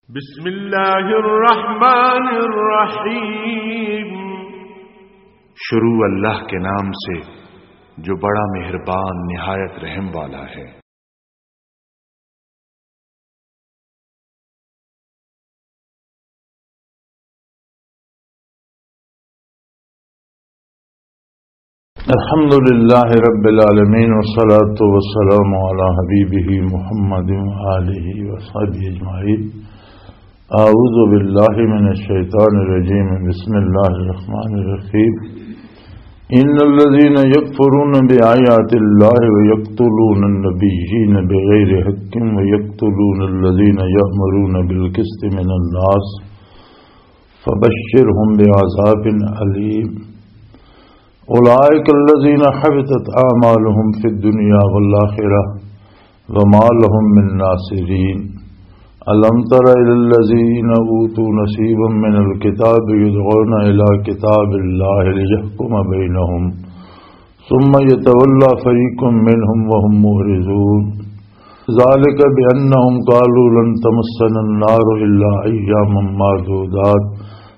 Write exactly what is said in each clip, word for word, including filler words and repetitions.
بسم اللہ الرحمن الرحیم۔ شروع اللہ کے نام سے جو بڑا مہربان نہایت رحم والا ہے۔ الحمد لله رب العالمين، والصلاة والسلام على حبيبه محمد وآله وصحبه أجمعين۔ أعوذ بالله من الشيطان الرجيم، بسم الله الرحمن الرحيم۔ إن الذين يكفرون بآيات الله ويقتلون النبيين بغير حق ويقتلون الذين يأمرون بالقسط من الناس فبشرهم بعذاب أليم۔ أولئك الذين حبطت أعمالهم في الدنيا والآخرة وما لهم من ناصرين۔ ألم تر إلى الذين أوتوا نصيبا من الكتاب يدعون إلى كتاب الله ليحكم بينهم ثم يتولى فريق منهم وهم معرضون۔ ذلك بأنهم قالوا لن تمسنا النار إلا أياما معدودات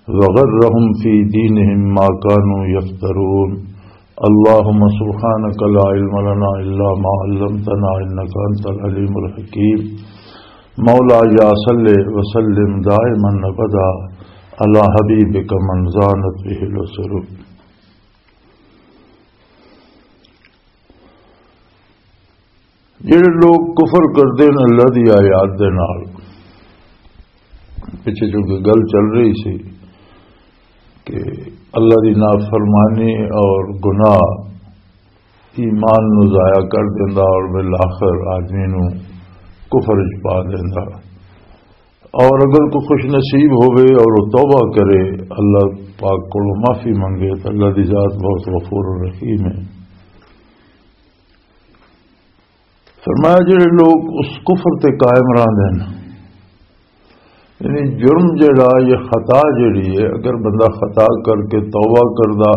وغرهم في دينهم ما كانوا يفترون۔ اللهم سبحانك لا علم لنا إلا ما علمتنا إنك أنت العليم الحكيم۔ مولاي صل وسلم دائما أبدا على حبيبك من زانت به العصر۔ جڑے لوگ کفر کردے نے اللہ دی آیات دے نال، پچھے چونکہ گل چل رہی سی کہ اللہ دی نافرمانی اور گناہ ایمان نو ضائع کر دیندا اور بالآخر آدمی نو کفر وچ پا دیندا۔ اور اگر کوئی خوش نصیب ہوئے اور وہ توبہ کرے، اللہ پاک کو معافی منگے، تو اللہ دی ذات بہت غفور الرحیم ہے۔ فرمایا، جڑے لوگ اس کفر تے قائم رہندے ہیں، یعنی جرم جڑا، یہ خطا جڑی ہے، اگر بندہ خطا کر کے توبہ کردا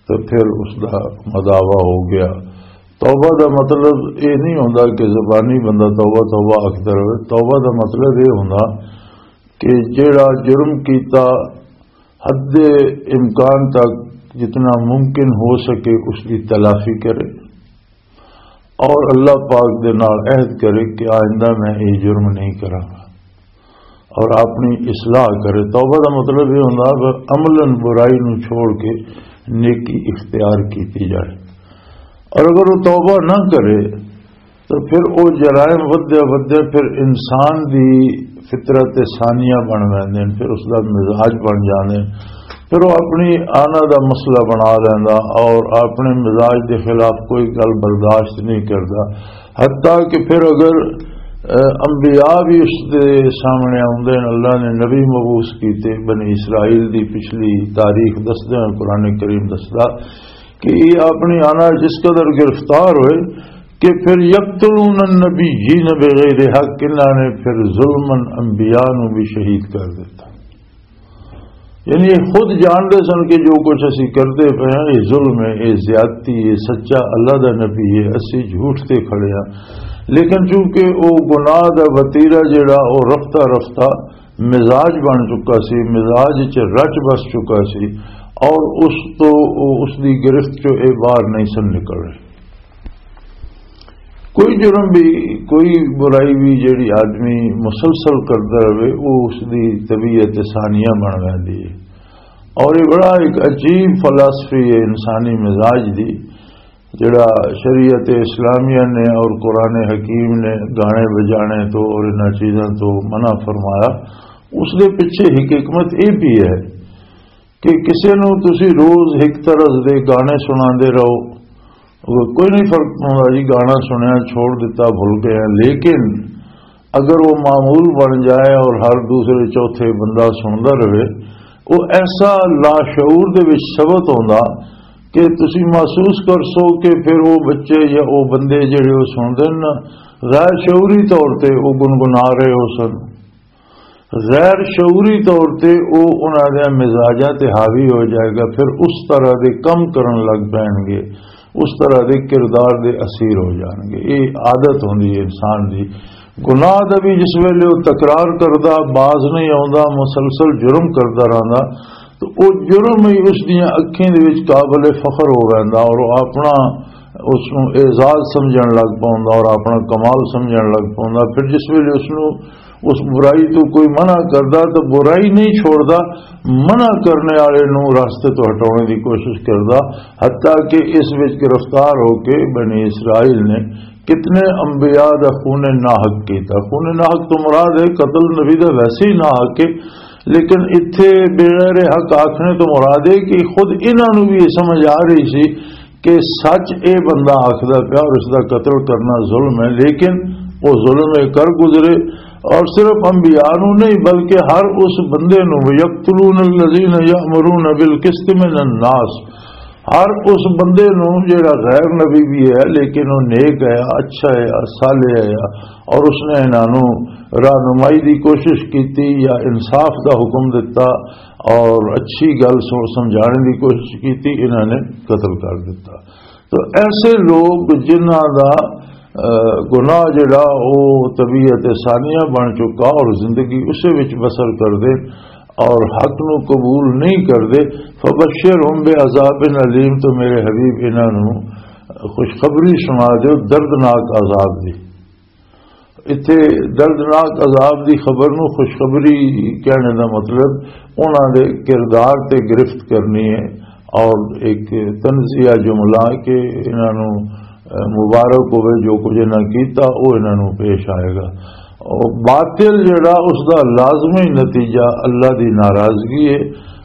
تو پھر اس دا مداوا ہو گیا۔ توبہ دا مطلب یہ نہیں ہوندا کہ زبانی بندہ توبہ توبہ آکھدا رہے۔ توبہ دا مطلب یہ ہوندا کہ جڑا جرم کیتا، حد امکان تک جتنا ممکن ہو سکے اس کی تلافی کرے، اور اللہ پاک دے نال عہد کرے کہ آئندہ میں یہ جرم نہیں کراں گا، اور اپنی اصلاح کرے۔ توبہ دا مطلب یہ ہوندا کہ عملاً برائی نو چھوڑ کے نیکی اختیار کیتی جائے۔ اور اگر وہ توبہ نہ کرے تو پھر وہ جرائم ودیا ودیا پھر انسان دی فطرت ثانیہ بن ویندے نے، پھر اس دا مزاج بن جاندے نے۔ پھر وہ اپنی آنا دا مسئلہ بنا لیندا اور اپنے مزاج دے خلاف کوئی گل برداشت نہیں کردا۔ حتیٰ کہ پھر اگر، اے، انبیاء بھی اس دے سامنے آوندے نے، اللہ نے نبی مبعوث کیتے، بنی اسرائیل دی پچھلی تاریخ دسدے ہیں، قرآن کریم دسدا کہ یہ اپنی آنا جس قدر گرفتار ہوئے کہ پھر یقتلون النبیین بغیر حق، انہاں نے پھر ظلماً انبیاء نو بھی شہید کر دیتا۔ یعنی یہ خود جانتے سن کہ جو کچھ اسی کرتے پے ہیں، یہ ظلم ہے، یہ زیادتی ہے، سچا اللہ دا نبی ہے، اسی جھوٹ تے کھڑے ہیں۔ لیکن چونکہ وہ گناہ دا وتیرہ جڑا، وہ رفتہ رفتہ مزاج بن چکا سی، مزاج چ رچ بس چکا سی، اور اس تو، اس دی گرفت چو اے باہر نہیں سن نکل رہے۔ کوئی جرم بھی، کوئی برائی بھی جڑی آدمی مسلسل کردا رہے، وہ اس دی طبیعت ثانیہ بن ویندی ہے۔ اور یہ بڑا ایک عجیب فلسفی ہے انسانی مزاج دی، جڑا شریعت اسلامیہ نے اور قرآن حکیم نے گانے بجانے تو اور انہاں چیزاں تو منع فرمایا۔ اس دے پیچھے ایک حکمت یہ بھی ہے کہ کسے نوں تسی روز ایک طرز دے گانے سناندے رہو، کوئی نہیں فرق پوندا جی، گانا سنیا، چھوڑ دیتا، بھول گئے ہیں۔ لیکن اگر وہ معمول بن جائے اور ہر دوسرے چوتھے بندہ سندا رہے، وہ ایسا لاشعور دے وچ ثبت ہوندا کہ تسی محسوس کر سو کہ پھر وہ بچے یا وہ بندے جڑے وہ سندے نا، غیر شعوری طور تے وہ گنگنا رہے ہو سن۔ غیر شعوری طور تے او انہاں دے مزاجاں تے حاوی ہو جائے گا، پھر اس طرح دے کم کرن لگ پین گے، اس طرح دے کردار دے اسیر ہو جان گے۔ یہ عادت ہوندی ہے انسان دی، گناہ دا بھی جس ویلے وہ تکرار کردا، باز نہیں آوندا، مسلسل جرم کردا رہندا، تو وہ جرم ہی اس دیاں اکھیں دے وچ قابل فخر ہو ویندا اور وہ اپنا، اس نوں اعزاز سمجھن لگ پوندا اور اپنا کمال سمجھن لگ پوندا۔ پھر جس ویلے اس نوں، اس برائی تو کوئی منع کردا تو برائی نہیں چھوڑدا، منع کرنے والے نوں راستے تو ہٹانے دی کوشش کردا، حتیٰ کہ اس وچ گرفتار ہو کے بنی اسرائیل نے کتنے انبیاء دا خون ناحق کیتا۔ خون ناحق تو مراد ہے قتل، نبی دا ویسے ہی ناحق ہے، لیکن اتھے بغیر حق آکھنے تو مراد ہے کہ خود انہاں نوں بھی یہ سمجھ آ رہی سی کہ سچ اے بندہ آکھدا پیا اور اس دا قتل کرنا ظلم ہے، لیکن وہ ظلم اے کر گزرے۔ اور صرف انبیاء نوں نہیں بلکہ ہر اس بندے نوں، یقتلون الذین یأمرون بالقسط من الناس، ہر اس بندے نوں جڑا غیر نبی بھی ہے لیکن وہ نیک ہے، اچھا ہے، صالح ہے، اور اس نے انہاں نوں رہنمائی دی کوشش کیتی یا انصاف دا حکم دتا اور اچھی گل سو-، سمجھانے دی کوشش کیتی، انہاں نے قتل کر دتا۔ تو ایسے لوگ جنہاں دا، آ، گناہ جڑا وہ طبیعت ثانیہ بن چکا اور زندگی اسے وچ بسر کر دے اور حق نو قبول نہیں کردے، فبشرہم بعذاب علیم، تو میرے حبیب انہاں نو خوشخبری سنا دیو دردناک عذاب دی۔ اتھے دردناک عذاب دی خبر نو خوشخبری کہنے دا مطلب انہاں دے کردار تے گرفت کرنی ہے اور ایک طنزیہ جملہ کہ انہاں نو مبارک ہوئے، جو کچھ انہاں کیتا، او انہاں نوں پیش آئے گا۔ او باطل جڑا، اس دا لازمی نتیجہ اللہ دی ناراضگی ہے،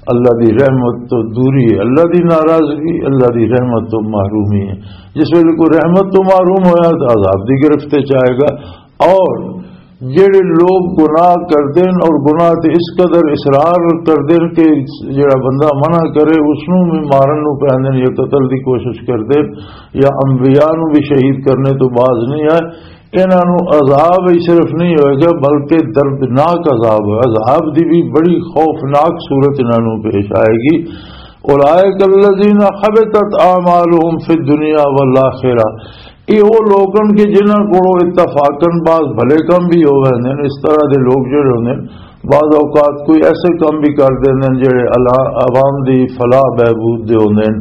اللہ دی رحمت تو دوری ہے۔ اللہ دی ناراضگی، اللہ دی رحمت تو محرومی ہے۔ جس ویلے کوئی رحمت تو محروم ہویا تو عذاب دی گرفت وچ آئے گا۔ اور جڑے لوگ گناہ کردے نے اور گناہ تے اس قدر اصرار کردے نے کہ جڑا بندہ منع کرے، اس نوں بھی مارن نوں پیندے نے یا قتل دی کوشش کردے نے یا انبیاء نوں بھی شہید کرنے تو باز نہیں آئے، انہاں نوں عذاب ہی صرف نہیں ہوئے گا بلکہ دردناک عذاب ہے۔ عذاب دی بھی بڑی خوفناک صورت انہاں نوں پیش آئے گی۔ اولئک الذین حبطت اعمالهم فی الدنیا والآخرہ، یہ وہ لوگ ہیں کہ جنہاں کو اتفاقاً بعض بھلے کام بھی ہو رہے ہیں، اس طرح دے لوگ جڑے ہوندے ہیں، بعض اوقات کوئی ایسے کام بھی کر دیندے ہیں جڑے اللہ، عوام دی فلاح بہبود دے ہوندے ہیں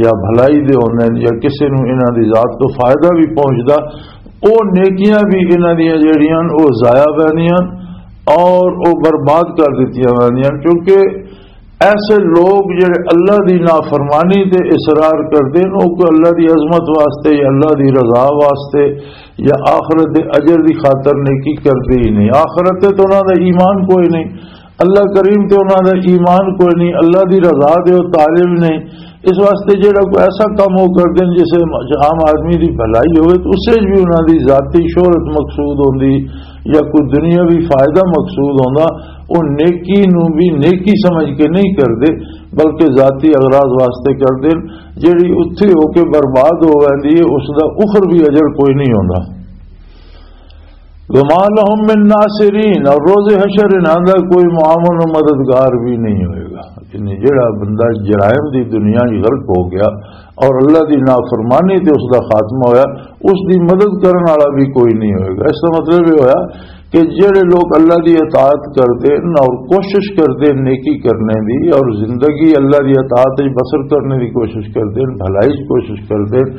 یا بھلائی دے ہوندے ہیں یا کسی نوں انہاں دی ذات تو فائدہ بھی پہنچدا، او نیکیاں بھی انہاں دیاں جڑیاں او ضائع ویندیاں اور او برباد کر دتیاں ویندیاں، کیونکہ ایسے لوگ جڑے اللہ دی نافرمانی تے اصرار کردے نے، او کوئی اللہ دی عظمت واسطے یا اللہ دی رضا واسطے یا آخرت دے اجر دی خاطر نیکی کردے ہی نہیں۔ آخرت تے تو انہاں دا ایمان کوئی نہیں، اللہ کریم تے انہاں دا ایمان کوئی نہیں، اللہ دی رضا دے او طالب نہیں۔ اس واسطے جڑا کوئی ایسا کام ہو کردے نے جسے عام آدمی دی بھلائی ہوئے تو اسے بھی انہاں دی ذاتی شہرت مقصود ہوندی یا کوئی دنیاوی فائدہ مقصود ہوندا، او نیکی نو بھی نیکی سمجھ کے نہیں کردے، بلکہ ذاتی اغراض واسطے کردے، جیڑی اتھی ہو کے برباد ہو ویندی ہے، اس دا اخروی اجر کوئی نہیں ہوندا۔ وما لهم من ناصرین، اور روز حشر انہاں دا کوئی معاون و مددگار بھی نہیں ہوئے گا۔ یعنی جیڑا بندہ جرائم دی دنیا وچ غرق ہو گیا اور اللہ دی نافرمانی تے اس دا خاتمہ ہویا، اس دی مدد کرن والا بھی کوئی نہیں ہوئے گا۔ اس دا مطلب یہ ہویا کہ جڑے لوگ اللہ دی اطاعت کردے نے اور کوشش کردے نے نیکی کرنے دی اور زندگی اللہ دی اطاعت وچ بسر کرنے دی کوشش کردے نے، بھلائی وچ کوشش کردے نے،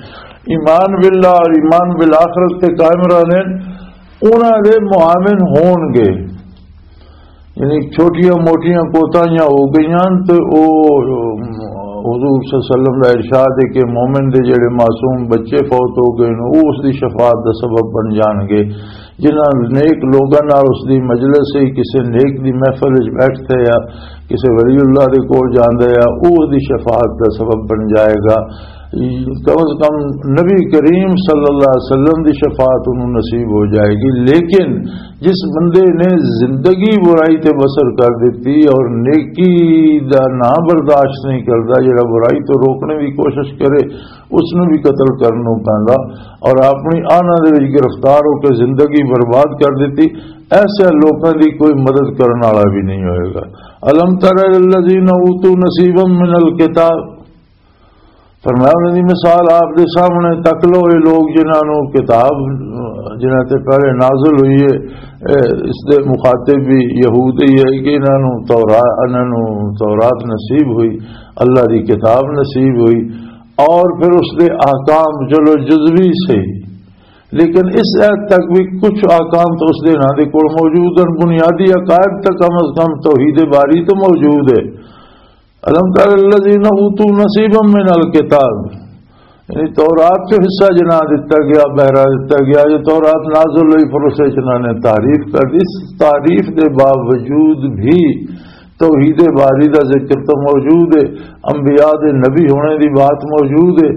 ایمان باللہ اور ایمان بالآخرت تے قائم رہنے، انہاں دے معاون ہون گے۔ یعنی چھوٹیاں موٹیاں کوتاہیاں ہو گئیاں تے او حضور صلی اللہ علیہ وسلم دا ارشاد ہے کہ مومن دے جڑے معصوم بچے فوت ہو گئے نے، او اس دی شفاعت دا سبب بن جان گے۔ جنہاں نیک لوگاں نال اس دی مجلس ہے، کسے نیک دی محفل وچ بیٹھتے یا کسے ولی اللہ دے کول جاندے یا، او اس دی شفاعت دا سبب بن جائے گا۔ کم از کم نبی کریم صلی اللہ علیہ وسلم دی شفاعت انہوں نصیب ہو جائے گی۔ لیکن جس بندے نے زندگی برائی تے بسر کر دیتی اور نیکی دا نام برداشت نہیں کردا، جڑا برائی تو روکنے دی کوشش کرے، اس نوں بھی قتل کرن نوں پیندا اور اپنی آناں دے وچ گرفتار ہو کے زندگی برباد کر دیتی، ایسے لوکاں دی کوئی مدد کرن والا بھی نہیں ہوئے گا۔ الم تر الی الذین اوتوا نصیبا من الکتاب، فرمایا، انہاں دی مثال آپ دے سامنے، تک لو، یہ لوگ جنہاں نوں کتاب جنہاں تے پہلے نازل ہوئی ہے، اے، اس دے مخاطب بھی یہود ہی ہے کہ انہاں نوں تورا-، انہاں نوں تورات نصیب ہوئی، اللہ دی کتاب نصیب ہوئی، اور پھر اس دے احکام، چلو، جزوی سے، لیکن اس عہد تک بھی کچھ احکام تو اس دے انہاں دے کول موجود ہیں، بنیادی عقائد تک کم از کم توحید باری تو موجود ہے۔ الم تر الذین اوتوا نصیبا من الکتاب، یعنی تورات چ حصہ جنا دتا گیا، بہرا دتا گیا۔ جو تورات نازل ہوئی، پھر اسے چ انہاں نے تعریف کر دی۔ اس تعریف دے باوجود بھی توحید باری دا ذکر تو موجود ہے، انبیاء دے نبی ہونے دی بات موجود ہے،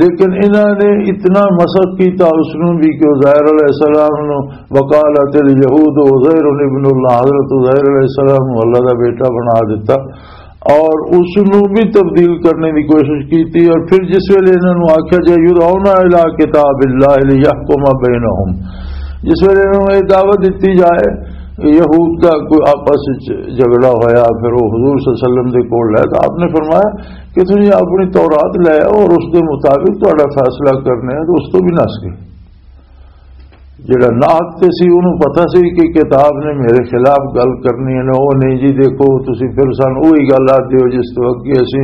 لیکن انہاں نے اتنا مسخ کیتا اس نوں بھی کہ عزیر علیہ السلام نوں، وقالت الیہود عزیر ابن اللہ، حضرت عزیر علیہ السلام نوں اللہ دا بیٹا بنا دیتا۔ اور اس نوں بھی تبدیل کرنے دی کوشش کیتی۔ اور پھر جس ویلے انہاں نوں آکھیا جائے، یدعون الی کتاب اللہ لیحکم بینہم، جس ویلے انہاں نوں یہ دعوت دتی جائے، یہود دا کوئی آپس وچ جھگڑا ہویا، پھر وہ حضور صلی اللہ علیہ وسلم دے کول آئے، تو آپ نے فرمایا کہ تسی اپنی تورات لے آؤ اور اس دے مطابق تہاڈا فیصلہ کرنے ہیں، تو اس تو بھی نس گئے۔ جڑا ناحق تے سی، اونوں پتہ سی کہ کتاب نے میرے خلاف گل کرنی ہے، او نہیں جی، دیکھو، تسی پھر سان اوہی گل آدھے ہو جس تو اگے اسی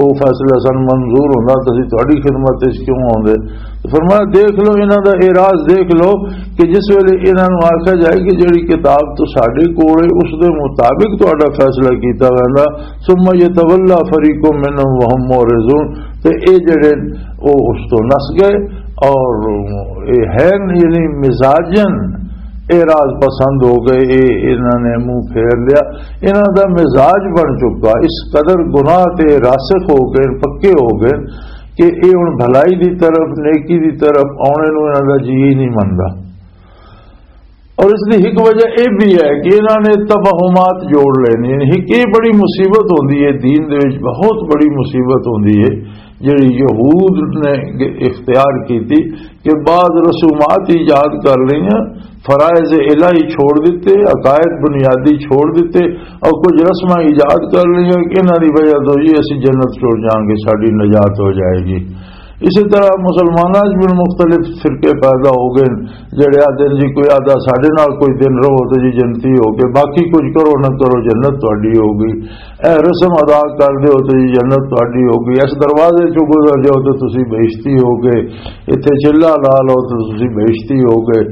او فیصلہ سان منظور ہوندا تے اسی تہاڈی خدمت وچ کیوں آوندے؟ تے فرمایا، دیکھ لو، انہاں دا اعراض دیکھ لو کہ جس ویلے انہاں نوں آکھیا جائے کہ جڑی کتاب تو ساڈے کول ہے، اس دے مطابق تہاڈا فیصلہ کیتا ویندا، ثم یتولا فریق منهم وهم معرضون، تے اے جڑے او اس تو نس گئے۔ اور اے ہیں، یعنی مزاجن اعراض پسند ہو گئے، اے انہاں نے منہ پھیر لیا۔ انہاں دا مزاج بن چکا، اس قدر گناہ تے راسخ ہو گئے، پکے ہو گئے کہ اے ہن بھلائی دی طرف، نیکی دی طرف آنے نوں انہاں دا جی ہی نہیں مندا۔ اور اس دی ایک وجہ یہ بھی ہے کہ انہاں نے توہمات جوڑ لینے، یعنی ایک یہ بڑی مصیبت ہوندی ہے دین دے وچ، بہت بڑی مصیبت ہوندی ہے جڑی یہود نے اختیار کیتی کہ بعض رسومات ایجاد کر لئیاں، فرائض الہی چھوڑ دتے، عقائد بنیادی چھوڑ دتے، اور کچھ رسماں ایجاد کر لئیاں کہ انہاں دی وجہ تو جی اسی جنت چھوڑ جاؤں گے، ساڈی نجات ہو جائے گی۔ اسی طرح مسلماناں وچ بھی مختلف فرقے پیدا ہو گئے، جڑے آدھے جی کوئی آدھا ساڈے نال کوئی دن رہو تو جی جنتی ہو گئے، باقی کچھ کرو نہ کرو جنت تہاڈی ہو گئی، اے رسم ادا کر دیو تو جی جنت تہاڈی ہو گئی، اس دروازے چوں گزر جاؤ تو تسی بہشتی ہو گئے، ایتھے چلہ لا لو تو تسی بہشتی ہو گئے،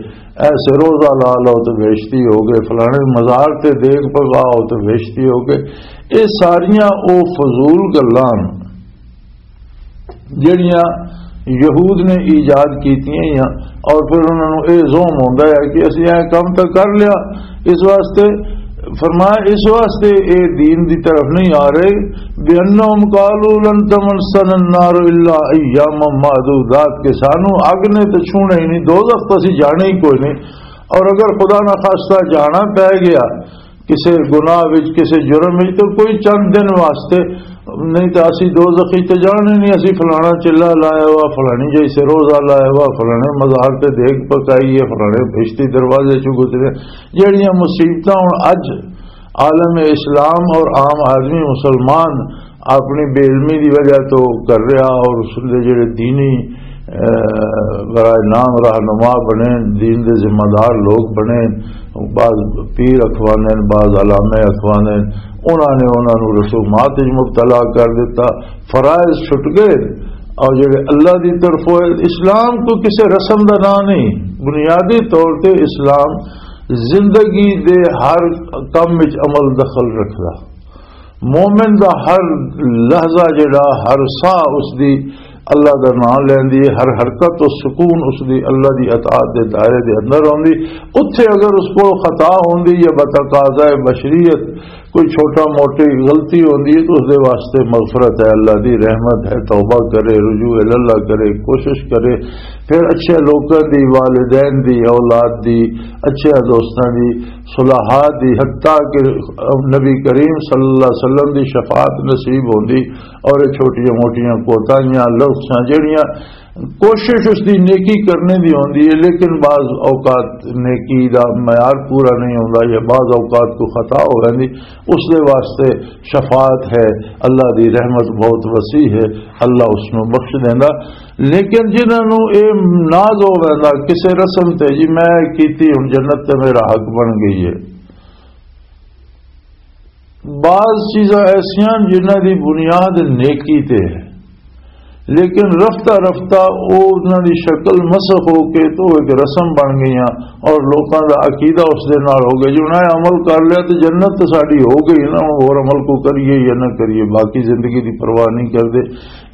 ایسے روزہ لا لو تو بہشتی ہو گئے، فلانے مزار تے دیکھ پگاؤ تو بہشتی ہو گئے۔ یہ ساریاں او فضول گلاں جڑیاں یہود نے ایجاد کیتیاں ہیاں، اور پھر انہاں نوں اے زوم ہوندا ہے کہ اسی اے کم تاں کر لیا۔ اس واسطے فرمایا، اس واسطے اے دین دی طرف نہیں آ رہے، بِأَنَّهُمْ قَالُوا لَن تَمَسَّنَا النَّارُ إِلَّا أَيَّامًا مَّعْدُودَاتٍ، کہ سانو اگ نے تے چھونا ہی نہیں، دوزخ تو اسی جانا ہی کوئی نہیں، اور اگر خدا نہ خواستہ جانا پے گیا کسے گناہ وچ، کسے جرم وچ، تو کوئی چند دن واسطے، نہیں تو اسی دوزخ وچ تے جانا ہی نہیں۔ اسی فلانا چلہ لایا ہوا، فلانی جیسے روزہ لایا ہوا، فلانے مزار تے دیکھ پکائی ہے، فلانے بہشتی دروازے چوں گزرے۔ جہڑیاں مصیبتاں ہن اج عالم اسلام اور عام آدمی مسلمان اپنی بے علمی دی وجہ تو کر رہا، اور اس دے جڑے دینی، اے، برائے نام رہنما بنے، دین دے ذمہ دار لوگ بنے، بعض پیر اخواندے نے، بعض علامے اخواندے نے، انہاں نے انہاں نوں رسومات وچ مبتلا کر دیتا، فرائض چھٹ گئے۔ اور جڑے اللہ دی طرفوں ہے، اسلام کو کسے رسم دا نام نہیں، بنیادی طور تے اسلام زندگی دے ہر کم وچ عمل دخل رکھدا۔ مومن دا ہر لحظہ جڑا، ہر ساہ اس دی اللہ دا نام لیندی ہے، ہر حرکت و سکون اس دی اللہ دی اطاعت دے دائرے دے اندر ہوندی۔ اتھے اگر اس کو خطا ہوندی یا بتقاضائے بشریت کوئی چھوٹا موٹی غلطی ہوندی ہے تو اس دے واسطے مغفرت ہے، اللہ دی رحمت ہے، توبہ کرے، رجوع اللہ کرے، کوشش کرے، پھر اچھے لوکاں دی، والدین دی، اولاد دی، اچھے دوستاں دی، صلحاء دی، حتیٰ کہ نبی کریم صلی اللہ علیہ وسلم دی شفاعت نصیب ہوندی اور یہ چھوٹیاں موٹیاں کوتاہیاں، لغزشاں جڑیاں کوشش اس دی نیکی کرنے دی ہوندی ہے، لیکن بعض اوقات نیکی دا معیار پورا نہیں ہوندا یا بعض اوقات کوئی خطا ہو ویندی، اس دے واسطے شفاعت ہے۔ اللہ دی رحمت بہت وسیع ہے، اللہ اس نو بخش دیندا۔ لیکن جنہاں نو اے ناز ہو ویندا کسے رسم تے، جی میں کیتی، ہن جنت تے میرا حق بن گئی ہے، بعض چیزاں ایسیاں جنہاں دی بنیاد نیکی تے ہے، لیکن رفتہ رفتہ او انہاں دی شکل مسخ ہو کے تو ایک رسم بن گئیاں، اور لوکاں دا عقیدہ اس دے نال ہو گیا۔ جی انہاں نے عمل کر لیا تے جنت تے ساڈی ہو گئی نا، ہن ہور عمل کو کریے یا نہ کریے، باقی زندگی دی پرواہ نہیں کردے۔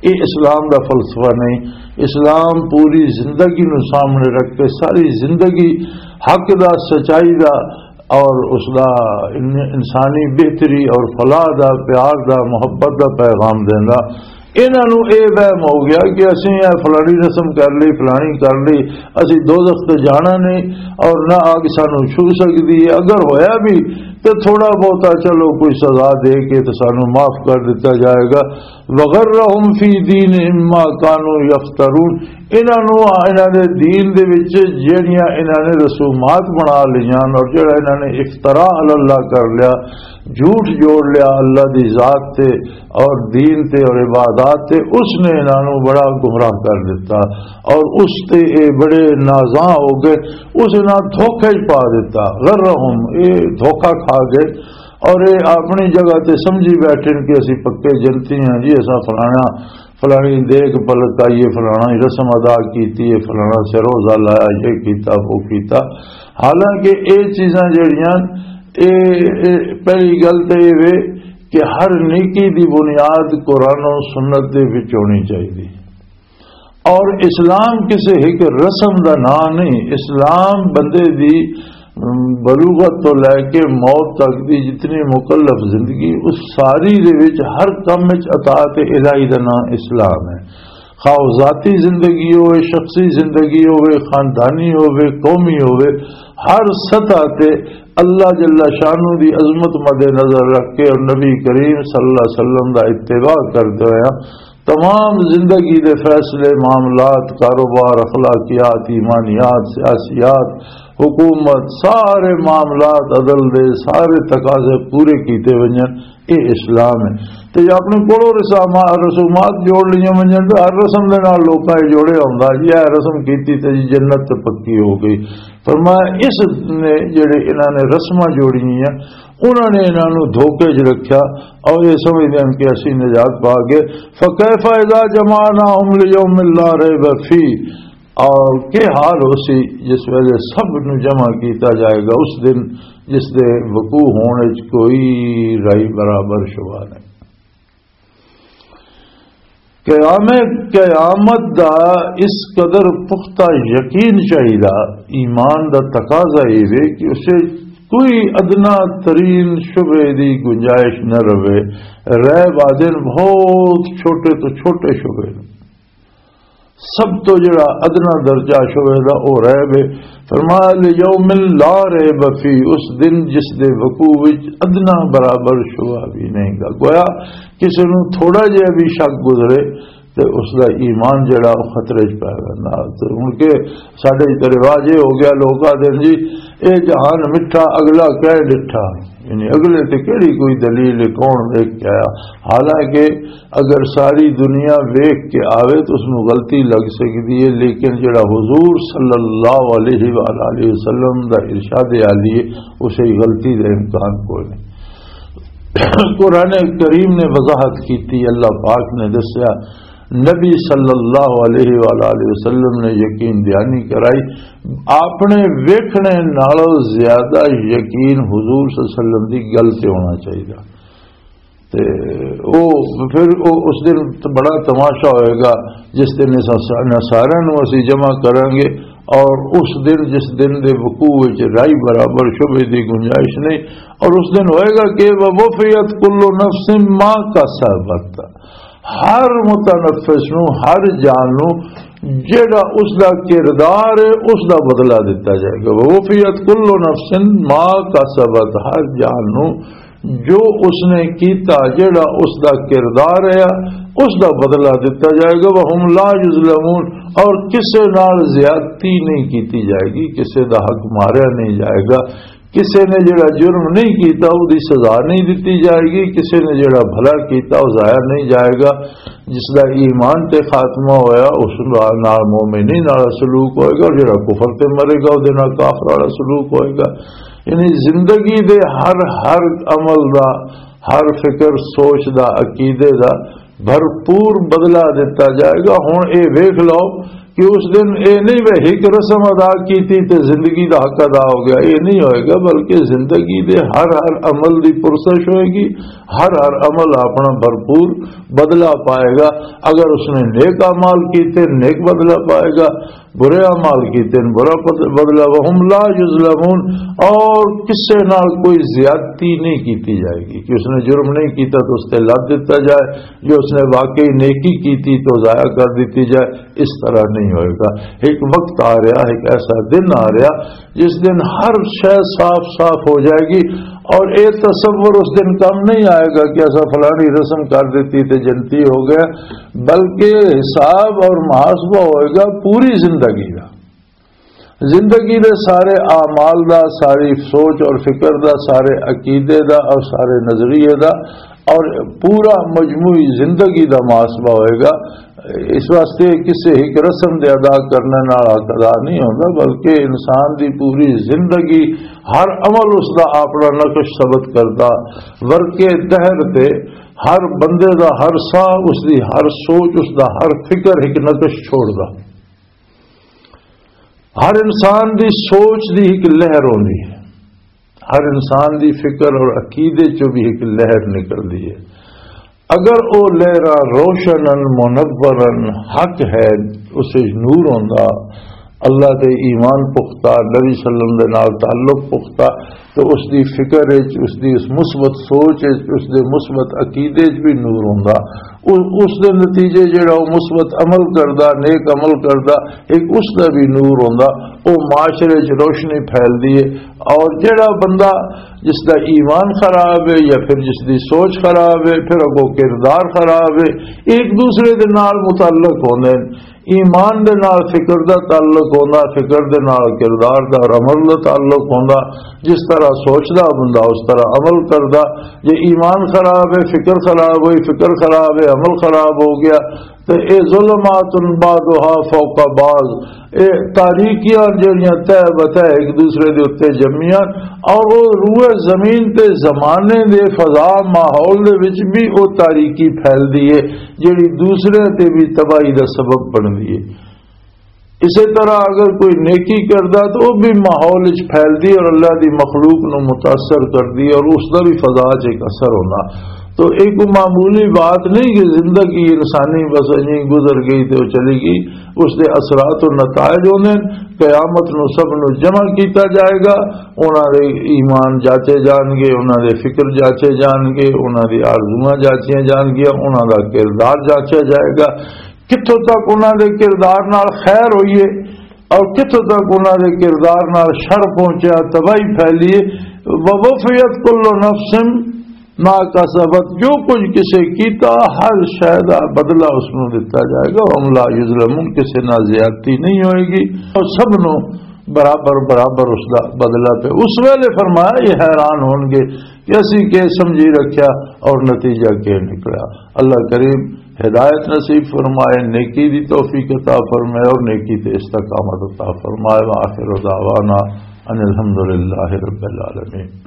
اے اسلام دا فلسفہ نہیں۔ اسلام پوری زندگی نو سامنے رکھ کے ساری زندگی حق دا، سچائی دا اور اس دا ان-، انسانی بہتری اور فلاح دا، پیار دا، محبت دا پیغام دیندا۔ انہاں نوں اے وہم ہو گیا کہ اسیں اے فلانی رسم کر لئی، فلانی کر لئی، اسیں دوزخ تے جانا نہیں اور نہ اگ سانوں چھو سکدی ہے۔ اگر ہویا بھی تے تھوڑا بہتا چلو کوئی سزا دے کے تے سانوں معاف کر دتا جائے گا۔ وغرهم في دينهم ما كانوا يفترون۔ انہاں نوں، انہاں دے دین دے وچ جہڑیاں انہاں نے رسومات بنا لیاں اور جہڑا انہاں نے افتراء علی اللہ کر لیا، جھوٹ جوڑ لیا اللہ دی ذات تے اور دین تے اور عبادات تے، اس نے انہاں نوں بڑا گمراہ کر دتا اور اس تے اے بڑے نازاں ہو گئے، اس انہاں دھوکے وچ پا دتا۔ غرهم، اے دھوکا کھا گئے اور اے اپنی جگہ تے سمجھی بیٹھے نے کہ اسی پکے جنتی ہیں جی، اساں فلانا، فلانی دیکھ پلک آئی ہے، فلانا ہی رسم ادا کیتی ہے، فلانا سے روزہ لایا، یہ کیتا، وہ کیتا۔ حالانکہ اے چیزاں جڑیاں، اے، اے پہلی گل تے اے وے کہ ہر نیکی دی بنیاد قرآن و سنت دے وچ ہونی چاہیے۔ اور اسلام کسی ایک رسم دا نام نہیں۔ اسلام بندے دی، ام، بلوغت تو لے کے موت تک دی جتنی مکلف زندگی، اس ساری دے وچ ہر کم وچ اطاعت الہی دا نام اسلام ہے۔ خواہ وہ ذاتی زندگی ہوئے، شخصی زندگی ہوئے، خاندانی ہوئے، قومی ہوئے، ہر سطح تے اللہ جل شانہ دی عظمت مد نظر رکھ کے اور نبی کریم صلی اللہ علیہ وسلم دا اتباع کردے ہوئے تمام زندگی دے فیصلے، معاملات، کاروبار، اخلاقیات، ایمانیات، سیاسیات، حکومت، سارے معاملات، عدل دے سارے تقاضے پورے کیتے ونجن، اے اسلام ہے۔ تے جے اپنے کولوں رسامات، رسومات جوڑ لیاں ونجن تے ہر رسم دے نال لوکاں اے جوڑے ہوندا جی، اے رسم کیتی تے جی جنت تے پکی ہو گئی۔ فرمایا، اس نے جڑے انہاں نے رسماں جوڑیاں، انہاں نے انہاں نوں دھوکے 'چ رکھیا اور یہ سمجھدے ہن کہ اسی نجات پا گئے۔ فَكَيْفَ إِذَا جَمَعْنَاهُمْ لِيَوْمٍ لَا رَيْبَ فِيهِ، اور کیا حال ہو سی جس ویلے سب نوں جمع کیتا جائے گا اس دن جس دے وقوع ہونے 'چ کوئی رائی برابر شبہ نہیں۔ قیام، قیامت دا اس قدر پختہ یقین چاہیدا، ایمان دا تقاضا یہ وے کہ اسے کوئی ادنا ترین شبے دی گنجائش نہ رہے۔ ریب آدن بہت چھوٹے تو چھوٹے شبے نے۔ سب تو جڑا ادنا درجہ شبے دا او ریب ہے۔ فرمایا، "لِيَوْمٍ لَا رَيْبَ فِيهِ"، اس دن جس دے وقوع وچ ادنا برابر شبہ بھی نہیں گا۔ گویا کسی نوں تھوڑا جہا بھی شک گزرے تے اس دا ایمان جڑا او خطرے 'چ پے ویندا۔ تے ہن کہ ساڈے تے رواج یہ ہو گیا، لوگ آدھے جی اے جہان مٹھا، اگلا کہہ ڈٹھا، یعنی اگلے تے کہڑی کوئی دلیل ہے، کون ویکھ کے آیا؟ حالانکہ اگر ساری دنیا ویکھ کے آوے تو اس نوں غلطی لگ سکدی ہے، لیکن جڑا حضور صلی اللہ علیہ وآلہ وسلم دا ارشاد عالی ہے، اسے غلطی دا امکان کوئی نہیں۔ قرآن کریم نے وضاحت کی تھی، اللہ پاک نے دسیا، نبی صلی اللہ علیہ وآلہ وسلم نے یقین دہانی کرائی، اپنے ویکھنے نالوں زیادہ یقین حضور صلی اللہ علیہ وسلم دی گل تے ہونا چاہیے۔ تے او پھر او اس دن تے بڑا تماشا ہوئے گا، جس دن اس نصارہ نوں اسی جمع کریں گے، اور اس دن، جس دن دے وقوع وچ رائی برابر شبے دی گنجائش نہیں، اور اس دن ہوئے گا کہ "وَوُفِّيَتْ كُلُّ نَفْسٍ مَا كَسَبَتْ"، ہر متنفس نوں، ہر جان نوں جڑا اس دا کردار ہے، اس دا بدلہ دتا جائے گا۔ "وَوُفِّيَتْ كُلُّ نَفْسٍ مَا كَسَبَتْ"، ہر جان نوں جو اس نے کیتا، جڑا اس دا کردار ہے، اس دا بدلہ دتا جائے گا۔ وَهُمْ لَا يُظْلَمُونَ، اور کسے نال زیادتی نہیں کیتی جائے گی، کسے دا حق ماریا نہیں جائے گا، کسے نے جڑا جرم نہیں کیتا، اس دی سزا نہیں دتی جائے گی، کسے نے جڑا بھلا کیتا، وہ ضائع نہیں جائے گا۔ جس دا ایمان تے خاتمہ ہویا، اس نال مومنی نال سلوک ہوئے گا، اور جڑا کفر تے مرے گا، اس دے نال کافر والا سلوک ہوئے گا۔ یعنی زندگی دے ہر، ہر عمل دا، ہر فکر سوچ دا، عقیدے دا بھرپور بدلہ دتا جائے گا۔ ہن اے ویکھ لو کہ اس دن اے نہیں وے ہک رسم ادا کیتی تے زندگی دا حق ادا ہو گیا، اے نہیں ہوئے گا، بلکہ زندگی دے ہر، ہر عمل دی پرسش ہوئے گی، ہر، ہر عمل اپنا بھرپور بدلہ پائے گا۔ اگر اس نے نیک اعمال کیتے، نیک بدلہ پائے گا، برے اعمال کیتے ہیں، برا پد-، بدلہ۔ وَهُمْ لَا يُظْلَمُونَ، اور کسے نال کوئی زیادتی نہیں کیتی جائے گی کہ اس نے جرم نہیں کیتا تو اس تے لد دیتا جائے، جو اس نے واقعی نیکی کیتی تو ضائع کر دیتی جائے، اس طرح نہیں ہوئے گا۔ ایک وقت آ رہا، ایک ایسا دن آ رہا جس دن ہر شے صاف صاف ہو جائے گی، اور اے تصور اس دن کم نہیں آئے گا کہ ایسا فلانی رسم کر دیتی تے جنتی ہو گیا، بلکہ حساب اور محاسبہ ہوئے گا پوری زندگی کا۔ زندگی دے سارے اعمال دا، ساری سوچ اور فکر دا، سارے عقیدے دا اور سارے نظریے دا اور پورا مجموعی زندگی دا محاسبہ ہوئے گا۔ اس واسطے کسے ایک رسم دے ادا کرنے نال حق ادا نہیں ہوندا، بلکہ انسان دی پوری زندگی، ہر عمل اس دا اپنا نقش ثبت کردا۔ ورقے دہر تے ہر بندے دا ہر ساہ، اس دی ہر سوچ، اس دا ہر فکر ایک نقش چھوڑدا۔ ہر انسان دی سوچ دی ایک لہر ہوندی ہے، ہر انسان دی فکر اور عقیدے چوں بھی ایک لہر نکلدی ہے۔ اگر او لہراں روشنن منورن حق ہے، اس وچ نور ہوندا، اللہ دے ایمان پختہ، نبی صلی اللہ علیہ وسلم دے نال تعلق پختہ، تو اس دی فکر وچ، اس دی اس مثبت سوچ وچ، اس دے مثبت عقیدے وچ بھی نور ہوندا۔ اس، اس دے نتیجے جڑا وہ مثبت عمل کردا، نیک عمل کردا، ایک اس دا بھی نور ہوندا، وہ معاشرے وچ روشنی پھیلدی ہے۔ اور جڑا بندہ جس دا ایمان خراب ہے یا پھر جس دی سوچ خراب ہے، پھر اگوں کردار خراب ہے، ایک دوسرے دے نال متعلق ہوندے نے۔ ایمان دے نال فکر دا تعلق ہوندا، فکر دے نال کردار دا اور عمل دا تعلق ہوندا۔ جس طرح سوچدا بندہ، اس طرح عمل کردا۔ جے ایمان خراب ہے، فکر خراب ہوئی، فکر خراب ہے، عمل خراب ہو گیا، تے اے ظلمات بعضها فوق بعض، اے تاریکیاں جڑیاں تہ بتہ ایک دوسرے دے اُتے جمیاں، اور او روئے زمین تے زمانے دے فضا ماحول دے وچ بھی او تاریکی پھیلدی ہے، جڑی دوسرے تے بھی تباہی دا سبب بندی ہے۔ اسے طرح اگر کوئی نیکی کردا تو وہ بھی ماحول وچ پھیلدی اور اللہ دی مخلوق نو متاثر کردی اور اس دا بھی فضا چ ایک اثر ہونا۔ تو ایک معمولی بات نہیں کہ زندگی انسانی بس انہیں گزر گئی تے وہ چلی گئی، اس دے اثرات و نتائج ہوندے نے۔ قیامت نو سب نو جمع کیتا جائے گا، انہاں دے ایمان جاچے جان گے، انہاں دے فکر جاچے جان گے، انہاں دی آرزوئاں جاچیاں جان گیاں، انہاں دا کردار جاچیا جائے گا۔ کتھوں تک انہاں دے کردار نال خیر ہوئی ہے اور کتھوں تک انہاں دے کردار نال شر پہنچیا، تباہی پھیلی ہے۔ وَوَفِّيَتْ كُلُّ نَفْسٍ مَا كَسَبَتْ، جو کچھ کسے کیتا، ہر شے دا بدلہ اس نوں دتا جائے گا۔ وَهُمْ لَا يُظْلَمُونَ، کسے نال زیادتی نہیں ہوئے گی اور سب نوں برابر برابر اس دا بدلہ پہ۔ اس ویلے فرمایا، یہ حیران ہون گے کہ اسی کے سمجھی رکھیا اور نتیجہ کے نکلا۔ اللہ کریم ہدایت نصیب فرمائے، نیکی دی توفیق عطا فرمائے اور نیکی تے استقامت عطا فرمائے۔ وآخر دعوانا ان الحمدللہ رب العالمین۔